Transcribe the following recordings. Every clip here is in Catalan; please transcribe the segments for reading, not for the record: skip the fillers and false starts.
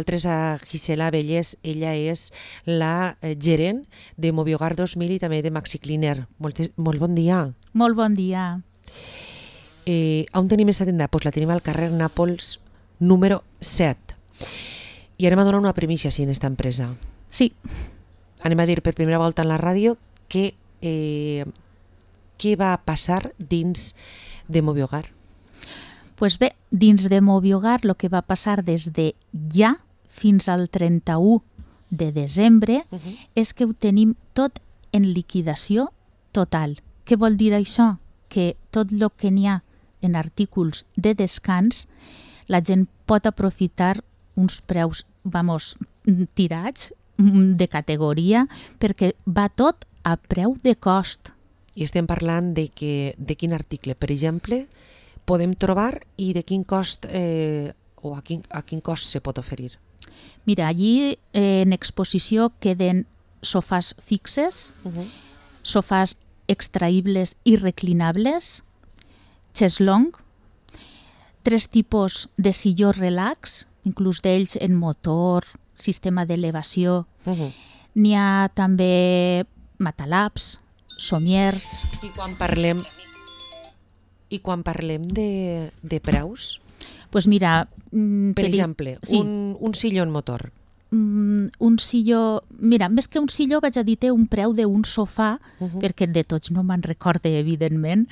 Altres a Gisela Bellés, ella és la gerent de Moviogar 2000 i també de Maxi Cleaner. Molt bon dia. Molt bon dia. On tenim aquesta tenda? Pues la tenim al carrer Nàpols número 7. I anem a donar una primícia en aquesta empresa. Sí. Anem a dir per primera volta en la ràdio què va passar dins de Moviogar. Pues bé, dins de Moviogar el que va passar des de ja fins al 31 de desembre és que ho tenim tot en liquidació total. Què vol dir això? Que tot el que n'hi ha en artículs de descans, la gent pot aprofitar uns preus, tirats, de categoria, perquè va tot a preu de cost. I estem parlant de quin article, per exemple, podem trobar i de quin cost o a quin cost se pot oferir. Mira, allí en exposició queden sofàs fixes, sofàs extraïbles i reclinables, xeslong, 3 tipus de silló relax, inclús d'ells en motor, sistema d'elevació. N'hi ha també matalaps, somiers. I quan parlem de preus? Pues mira, per exemple, sí. un silló en motor. Un silló... Mira, més que un silló vaig a dir-te un preu d'un sofà, perquè de tots no me'n recorde, evidentment,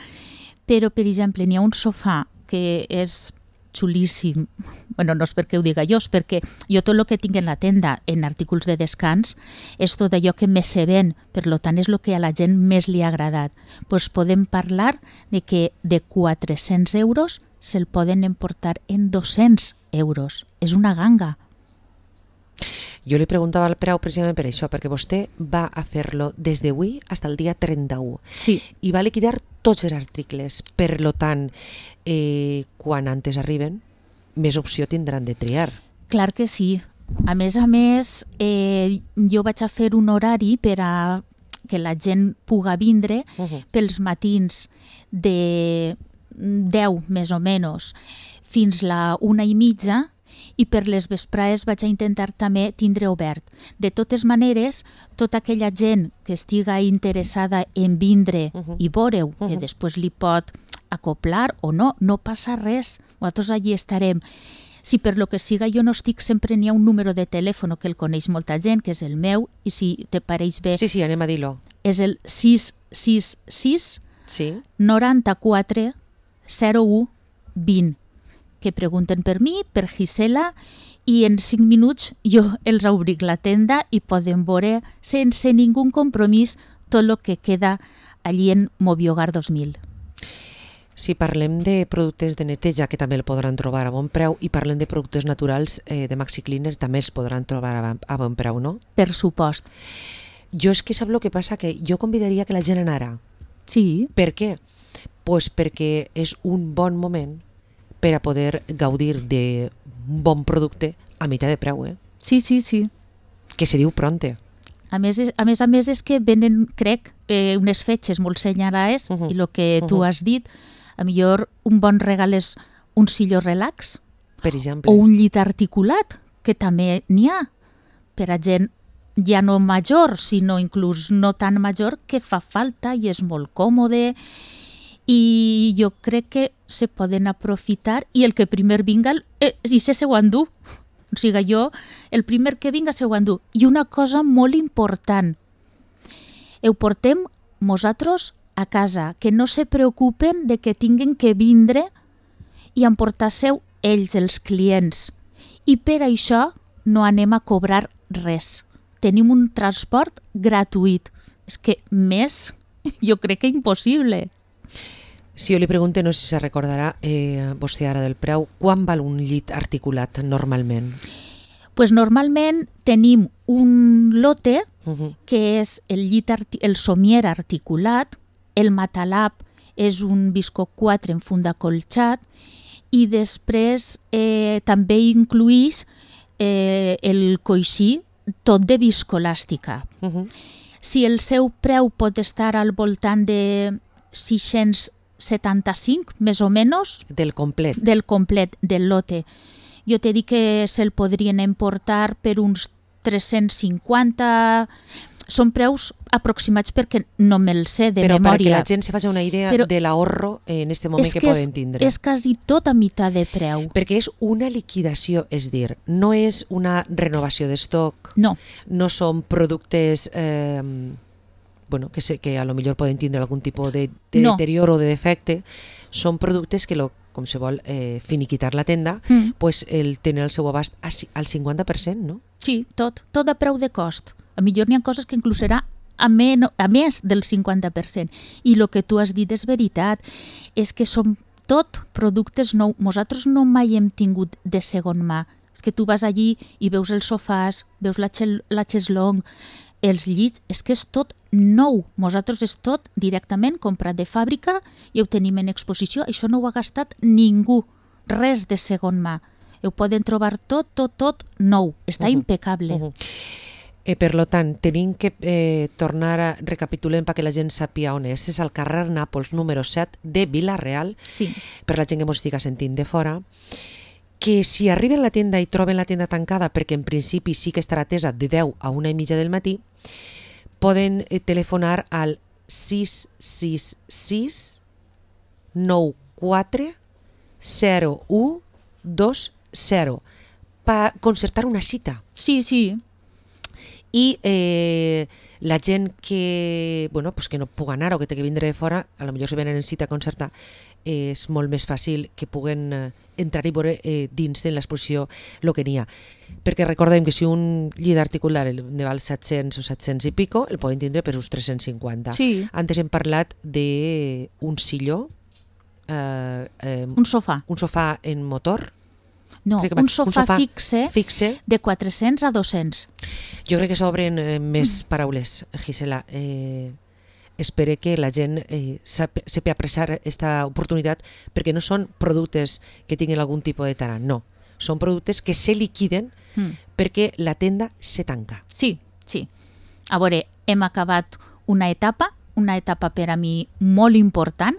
però, per exemple, n'hi ha un sofà que és xulíssim. Bueno, no és perquè ho diga jo, és perquè jo tot el que tinc en la tenda en artículs de descans és tot allò que més se ven, per tant és el que a la gent més li ha agradat. Pues podem parlar de que de 400 euros se'l poden emportar en 200 euros. És una ganga. Jo li preguntava el preu precisament per això, perquè vostè va a fer-lo des d'avui fins al dia 31. Sí. I va liquidar tots els articles. Per tant, quan antes arriben, més opció tindran de triar. Clar que sí. A més, jo vaig a fer un horari per a que la gent puga vindre pels matins de 10 més o menys fins la 1:30 i per les vesprades vaig a intentar també tindre obert. De totes maneres, tota aquella gent que estiga interessada en vindre i veure-ho, que després li pot acoplar o no, no passa res. Nosaltres allí estarem. Si per lo que siga jo no estic, sempre n'hi ha un número de telèfon que el coneix molta gent, que és el meu, i si te pareix bé... Sí, anem a dir-lo. És el 666 94 01 20. Que pregunten per mi, per Gisela, i en 5 minuts jo els obric la tenda i podem veure sense ningú compromís tot el que queda allí en Moviogar 2000. Si parlem de productes de neteja, que també el podran trobar a bon preu, i parlem de productes naturals de Maxi Cleaner, també els podran trobar a bon preu, no? Per supost. Jo és que sap el que passa, que jo convidaria que la gent anara. Sí. Per què? Pues perquè és un bon moment per a poder gaudir d'un bon producte a meitat de preu, Sí, sí, sí. Que se diu pronte. A més és que venen, crec, unes fetges molt senyalades i el que tu has dit, a millor un bon regal és un silló relax, per exemple, o un llit articulat, que també n'hi ha, per a gent ja no major, sinó inclús no tan major, que fa falta i és molt còmode, i jo crec que se poden aprofitar i el que primer vinga i se ho endú. O sigui, jo, el primer que vinga se ho endú. I una cosa molt important, ho portem nosaltres a casa, que no se preocupen de que tinguen que vindre i emportar-se ells, els clients. I per això no anem a cobrar res. Tenim un transport gratuït. És que més, jo crec que impossible. Si jo li pregunto, no sé si se recordarà vostè ara del preu, quan val un llit articulat normalment? Pues normalment tenim un lote que és el somier articulat, el matalap és un visco 4 en funda colxat i després també incluïs el coixí tot de viscolàstica. Si el seu preu pot estar al voltant de 675, més o menys, del complet del lote. jo t'he dit que se'l podrien emportar per uns 350... Són preus aproximats perquè no me'l sé de memòria. Però perquè memòria. la gent se faci una idea de l'ahorro en este moment que poden tindre. És quasi tot a meitat de preu. Perquè és una liquidació, és dir, no és una renovació d'estoc, no són productes que a lo millor poden tindre algun tipus de deterioro o de defecte, són productes que com se vol finiquitar la tenda, pues el tenen al seu abast al 50%, no? Sí, tot a preu de cost. A millor n'hi ha coses que inclús serà a més del 50%. I el que tu has dit és veritat, és que són tot productes nous. Nosaltres no mai hem tingut de segon mà. És que tu vas allí i veus els sofàs, veus la xeslong, els llits, és que és tot nou. Nosaltres és tot directament comprat de fàbrica i ho tenim en exposició. Això no ho ha gastat ningú, res de segon mà. Ho poden trobar tot nou. Està impecable. Per tant, tenim que tornar a recapitulem perquè la gent sàpiga on és. És al carrer Nàpols, número 7 de Vila-real, sí. Per la gent que ens estigui sentint de fora, que si arriben a la tenda i troben la tenda tancada, perquè en principi sí que estarà atesa de 10 a 1:30 del matí, poden telefonar al 666 94 0120 per concertar una cita. Sí. I la gent que no pugui anar o que té que vindre de fora, a lo millor si venen en cita a concertar, és molt més fàcil que puguen entrar i veure dins de l'exposició el que n'hi ha. Perquè recordem que si un llit articular ne val 700 o 700 i pico, el poden tindre per uns 350. Sí. Antes hem parlat d'un silló, un sofà en motor. No, un sofà fixe de 400 a 200. Jo crec que s'obren més paraules, Gisela. Espero que la gent sepi apreciar aquesta oportunitat, perquè no són productes que tinguin algun tipus de tarà, no. Són productes que se liquiden perquè la tenda se tanca. Sí. A veure, hem acabat una etapa per a mi molt important.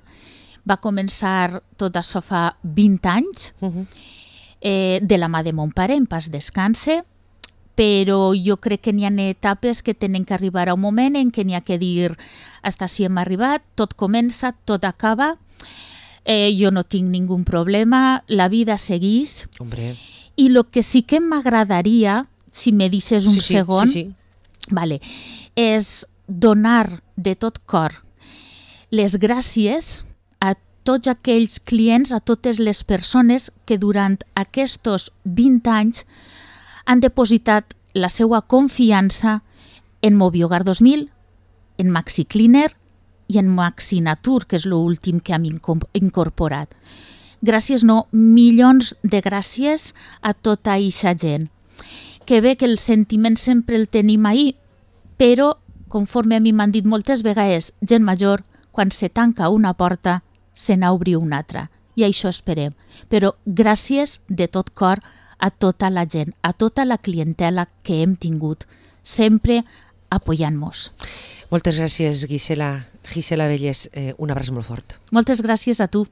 Va començar tot això fa 20 anys, de la mà de mon pare, en pas descanse, però jo crec que n'hi ha etapes que tenen que arribar a un moment en què n'hi ha que dir hasta si hem arribat, tot comença, tot acaba, jo no tinc ningú problema, la vida segueix. Hombre. I el que sí que m'agradaria, si me deixes un segon, vale, és donar de tot cor les gràcies a tots aquells clients, a totes les persones que durant aquests 20 anys han depositat la seva confiança en Moviogar 2000, en Maxi Cleaner i en Maxi Natur, que és l'últim que hem incorporat. Gràcies, no, milions de gràcies a tota aquesta gent. Que bé que el sentiment sempre el tenim ahí, però, conforme a mi m'han dit moltes vegades, gent major, quan se tanca una porta, se n'obri una altra. I això esperem. Però gràcies de tot cor a tota la gent, a tota la clientela que hem tingut, sempre apoyant-nos. Moltes gràcies, Gisela Vellés. Un abraç molt fort. Moltes gràcies a tu.